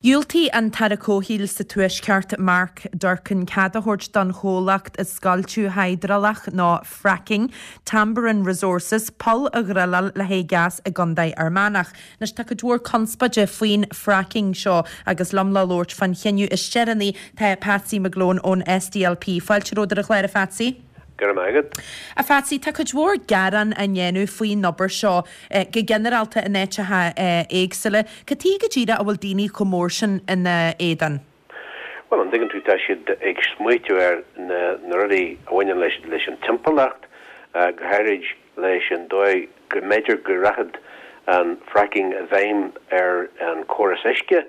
Dhiúltaigh an tAire Comhshaoil sa Tuaisceart, Mark Durkan, cead a thabhairt don chomhlacht scoilteadh hiodrálach nó fracking, Tamboran Resources, poll a dhruileáil le haghaidh gas i gContae Fhear Manach. Anois tá cuid mhór conspóide faoin fracking seo agus liom le labhairt fán chinneadh is deireanaí tá Patsy McGlone ón SDLP. Fáilte romhat ar an chlár a Phatsy. Go raibh maith agat. A Phatsy, tá cuid mhór gearán á ndéanamh faoin obair seo, go ginearálta in áiteacha éagsúla. Cad tuige go díreach a bhfuil daoine chomh mór sin ina éadan? Bhuel, an dtuigeann tú, tá siad ag smaoitiú ar na rudaí a bhaineann leis an timpeallacht, go háirid leis an dóigh go mb'fhéidir go rachadh an fracking i bhfeidhm ar an córas uisce.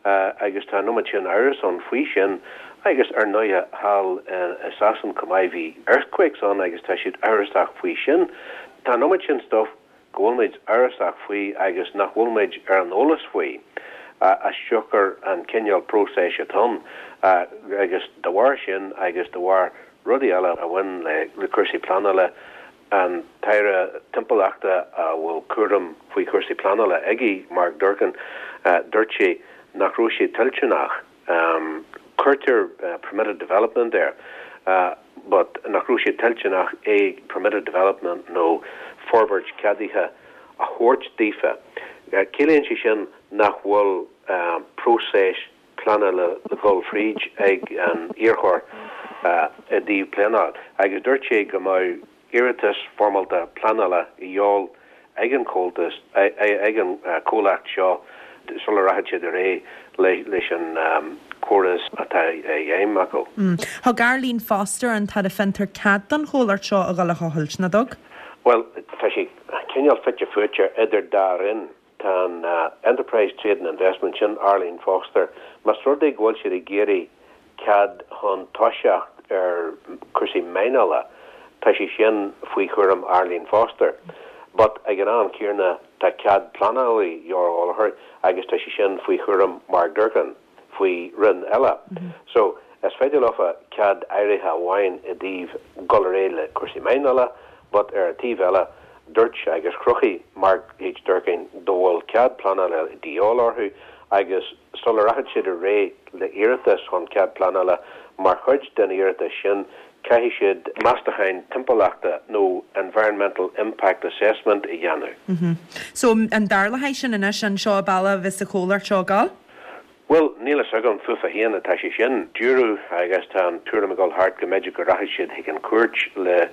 Agus tá an iomad sin amhras ann faoi sin agus ar ndóighe thall i Sasain chomh maith bhí earthquakes ann agus tá siad amhrasach faoi sin. Tá an iomad sin stuff go bhfuil muid amhrasach faoi agus nach bhfuil muid ar an eolas faoi as siocair an cineál próiseas atá ann agus de bharr sin agus de bharr rudaí eile a bhain le cúrsaí pleanála An tAire Timpeallachta a bhfuil cúram faoi chúrsaí pleanála aige, Mark Durkan, dúirt sé nach raibh sé toilteanach, cuirtear permitted development air, but nach raibh sé toilteanach é permitted development nó forbairt ceadaithe a thabhairt daofa. Ciallaíonn sé sin nach bhfuil próiseas pleanála le dhul fríd ag an iarrthóir i dtaobh pleanáil agus dúirt sé go mbeadh iarratas foirmeálta pleanála a dhíobháil ag an chomhaltas, ag an chomhlacht seo sula rachaidh siad ar aghaidh leis an chóras atá i bhfeidhm acu. Thug Arlene Foster, an tAire Fiontar, cead don chomhlacht seo a dhul a thochailt, nach dtug? Bhuel, tá sé cineál fite fuaite idir dá roinn. Tá an Enterprise, Trade and Investment, sin Arlene Foster, más rud é go bhfuil siad ag iarraidh cead chun toiseacht ar chúrsaí mianach, tá sé sin faoi chúram Arlene Foster. But ag an am céanna tá cead pleanála a dhíobháil orthu agus tá sé sin faoi chúram Mark Durkan. faoi roinn eile. So, is féidir leofa cead áirithe amháin i dtaobh dul ar aghaidh le cúrsaí mianach but ar an taobh eile dúirt agus chruthaigh Mark H. Durkan go bhfuil cead pleanála de dhíobháil orthu agus sula rachaidh siad ar aghaidh le iarratas chun cead pleanála mar chuid den iarratas sin caithfidh siad meastacháin timpeallachta nó environmental impact assessment a dhéanamh. So, an dtarlóidh sin anois, an seo an bealach a bheas an chomhlacht seo ag gabháil? Bhuel, níl fhios agam, fúthu féin atá sé sin. Dúradh, agus tá an tuairim ag dul thart, go mb'fhéidir go rachaidh siad chuig an chúirt le,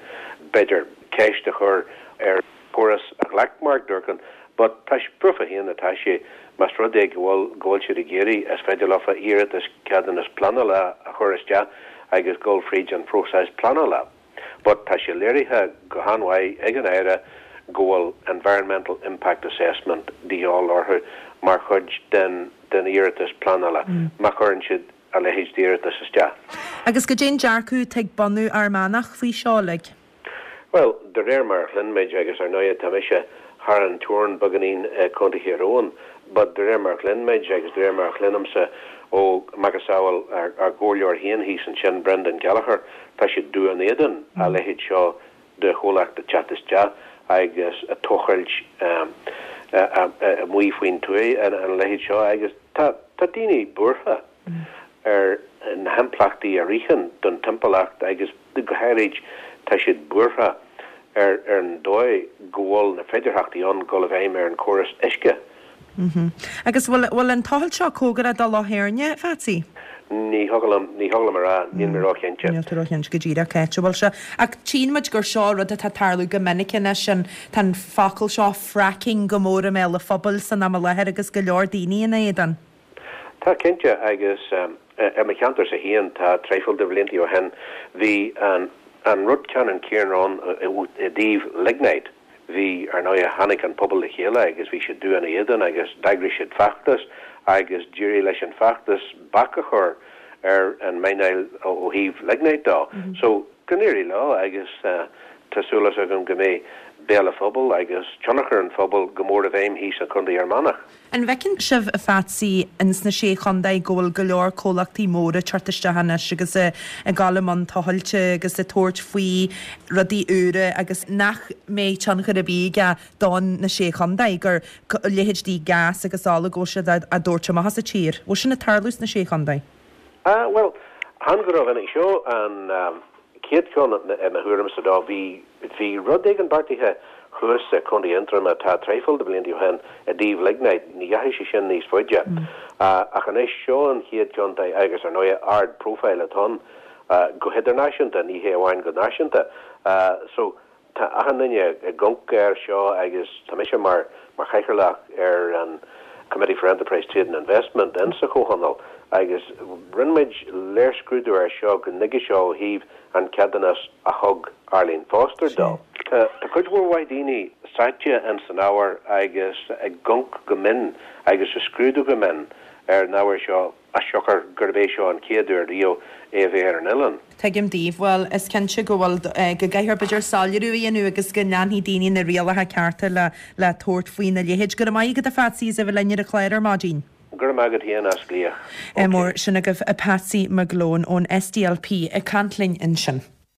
b'fhéidir, ceist a chur ar chóras a ghlac Mark Durkan. But tá sé, fúthu féin atá sé, más rud é go bhfuil, go bhfuil siad ag iarraidh, is féidir leofa iarratas ceadúnas pleanála a chur isteach agus dul fríd an phróiseas pleanála. But tá sé léirithe go han-mhaith ag an Aire go bhfuil environmental impact assessment de dhíobháil orthu mar chuid den den iarratas pleanála má chuireann siad a leithéid d'iarratas isteach. Agus goidé an dearcadh atá ag bunadh Fhear Manach faoi seo uilig? Bhuel, de réir mar a chluin muid, agus ar ndóighe tá mise thar an teorainn beagáinín i Contae Thír Eoghain, but de réir mar a chluin muid agus de réir mar a chluinimse ó macasamhail ár gcomhairleoir féin thíos ansin, Brendan Gallagher, tá siad dubh in éadan a leithéid seo de chomhlacht ag teacht isteach agus ag tochailt amuigh faoin tuaith a leithéid seo agus tá daoine buartha ar na himpleachtaí a ritheann don timpeallacht agus go háirid tá siad buartha ar an dóigh go bhfuil na féidearthachtaí ann dul i bhfeidhm ar an chóras uisce. Agus bhfuil an tochailt seo cóngarach do Loch Éirne, a Phatsy? Ní thiocfadh liom, ní thiocfadh liom a rá, níl mé róchinnte. Níl tú róchinnte go díreach cá háit a bhfuil sé. Ach tchíonn muid gur seo rud atá ag tarlú go minic anois, an, tá an focal seo fracking go mór i mbéal an phobail san am i láthair agus go leor daoine ina éadan. Tá, cinnte, agus i mo cheantarsa féin, tá traidhfil de bhlianta ó shin, bhí an, an rud ceannann céanna ann i dtaobh lignite. Bhí, ar ndóighe, tháinig an pobal le chéile agus bhí siad dubh ina éadan agus d'eagraigh siad feachtas agus d'éirigh leis an feachtas bac a chur ar an mianach ó thaobh lignite dó. So, go n-éirí leo agus tá súil agam go mbeidh. béal an phobail agus tionchar an phobail go mór i bhfeidhm thíos i Contae Fhear Manach. An bhfeiceann sibh, a Phatsy, ins na Sé Chontae go bhfuil go leor comhlachtaí móra ag teacht isteach anois agus ag dul i mbun tochailte agus ag tabhairt faoi rudaí úra agus nach mbeidh tionchar ar bith aige don na Sé Chontae, gur leithéidí gás agus ola go bhfuil siad á dtabhairt amach as an tír? Bhfuil sin ag tarlú sna Sé Chontae? Ah, bhuel, chan go rómhinic. Seo an chéad cheann i mo thuairimse dó. Bhí, bhí rud éigin beartaithe thuas i Contae Aontroma tá traidhfil de bhlianta ó shin i dtaobh lignite. Ní dheachaigh sé sin níos faide. Ach anois, seo an chéad chontae agus ar ndóighe ard profile atá ann go hidirnáisiúnta, ní hé amháin go náisiúnta. So, Tá achan duine ag amharc air seo agus tá mise mar chathaoirleach ar an Committee for Enterprise, Trade and Investment in sa Chomhthionól agus rinne muid léirscrúdú air seo go nuige seo ó thaobh an ceadúnas a thug Arlene Foster dó. Tá cuid mhór mhaith daoine sáite in san ábhar agus ag amharc go mion agus ag scrúdú go mion ar an ábhar seo. as siocair gurb é seo an chéad uair riamh é a bheith ar an oileán. Tuigim daoibh. Bhuel, is cinnte go bhfuil, go gcaithfear b'fhéidir soiléiriú a dhéanamh agus go leanfaidh daoine na rialacha cearta le le tabhairt faoina leithéid. Go raibh maith agat a Phatsy as a bheith linn ar an chlár ar maidin. Go raibh maith agat féin as glaoch. Ok. Mór, sin agaibh Patsy McGlone ón SDLP ag caint linn ansin.